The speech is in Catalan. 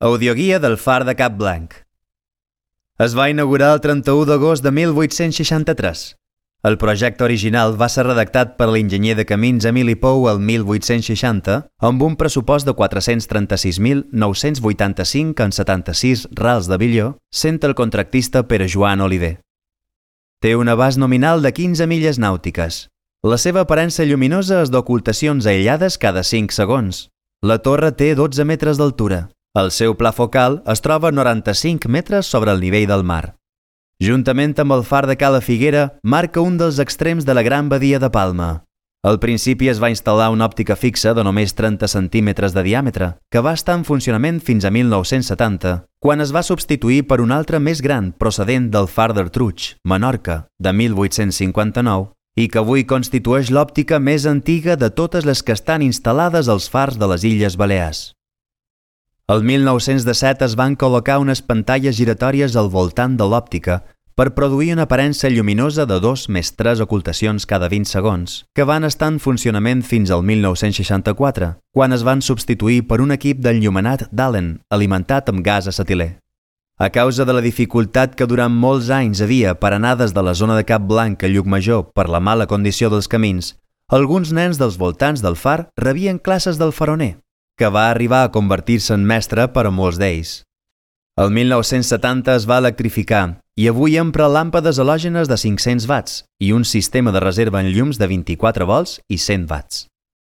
Audioguia del Far de Cap Blanc. Es va inaugurar el 31 d'agost de 1863. El projecte original va ser redactat per l'enginyer de camins Emili Pou el 1860 amb un pressupost de 436.985,76 rals de billó, sent el contractista Pere Joan Oliver. Té un abast nominal de 15 milles nàutiques. La seva aparença lluminosa és d'ocultacions aïllades cada 5 segons. La torre té 12 metres d'altura. El seu pla focal es troba a 95 metres sobre el nivell del mar. Juntament amb el far de Cala Figuera, marca un dels extrems de la Gran Badia de Palma. Al principi es va instal·lar una òptica fixa de només 30 centímetres de diàmetre, que va estar en funcionament fins a 1970, quan es va substituir per un altre més gran procedent del far d'Ertruig, Menorca, de 1859, i que avui constitueix l'òptica més antiga de totes les que estan instal·lades als fars de les Illes Balears. El 1917 es van col·locar unes pantalles giratòries al voltant de l'òptica per produir una aparença lluminosa de 2 més 3 ocultacions cada 20 segons, que van estar en funcionament fins al 1964, quan es van substituir per un equip d'enllumenat d'Allen, alimentat amb gas acetilè. A causa de la dificultat que durant molts anys havia per anar des de la zona de Cap Blanc a Llucmajor per la mala condició dels camins, alguns nens dels voltants del far rebien classes del faroner, que va arribar a convertir-se en mestre per a molts d'ells. El 1970 es va electrificar i avui empra làmpades halògenes de 500 watts i un sistema de reserva en llums de 24 volts i 100 watts.